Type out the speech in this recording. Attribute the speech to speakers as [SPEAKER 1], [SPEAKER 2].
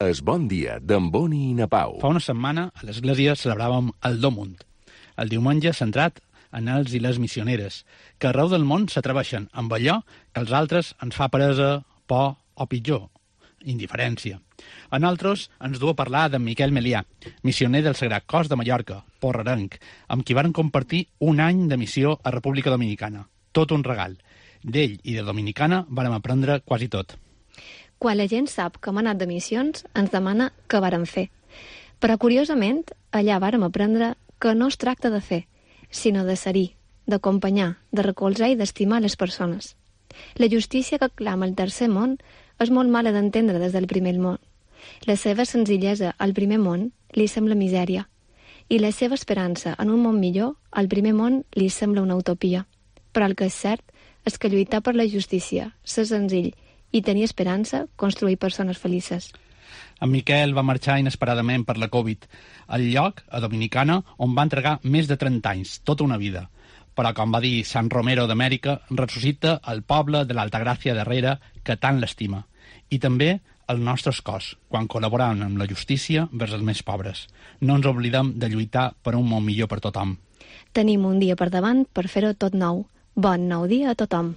[SPEAKER 1] Es Bon Dia d'en Boni i na Pau.
[SPEAKER 2] Fa una setmana a l'església celebràvem el Domunt, el diumenge centrat en els i les missioneres, que arreu del món s'atreveixen amb allò que als altres ens fa peresa, por o pitjor, indiferència. A nosaltres ens du a parlar d'en Miquel Melià, missioner del Sagrat Cos de Mallorca, porrerenc, amb qui varen compartir un any de missió a República Dominicana. Tot un regal. D'ell i de Dominicana vàrem aprendre quasi tot.
[SPEAKER 3] Quan la gent sap que hem anat de missions, ens demana què vàrem fer. Però, curiosament, allà vàrem aprendre que no es tracta de fer, sinó de ser-hi, d'acompanyar, de recolzar i d'estimar les persones. La justícia que clama el tercer món és molt mala d'entendre des del primer món. La seva senzillesa al primer món li sembla misèria, i la seva esperança en un món millor al primer món li sembla una utopia. Però el que és cert és que lluitar per la justícia, ser senzill i tenir esperança, construir persones felices.
[SPEAKER 2] En Miquel va marxar inesperadament per la Covid, al lloc, a Dominicana, on va entregar més de 30 anys, tota una vida. Però, com va dir Sant Romero d'Amèrica, ressuscita el poble de l'Altagràcia darrere que tant l'estima. I també el nostre cos, quan col·laborem amb la justícia vers els més pobres. No ens oblidem de lluitar per un món millor per tothom.
[SPEAKER 3] Tenim un dia per davant per fer-ho tot nou. Bon nou dia a tothom.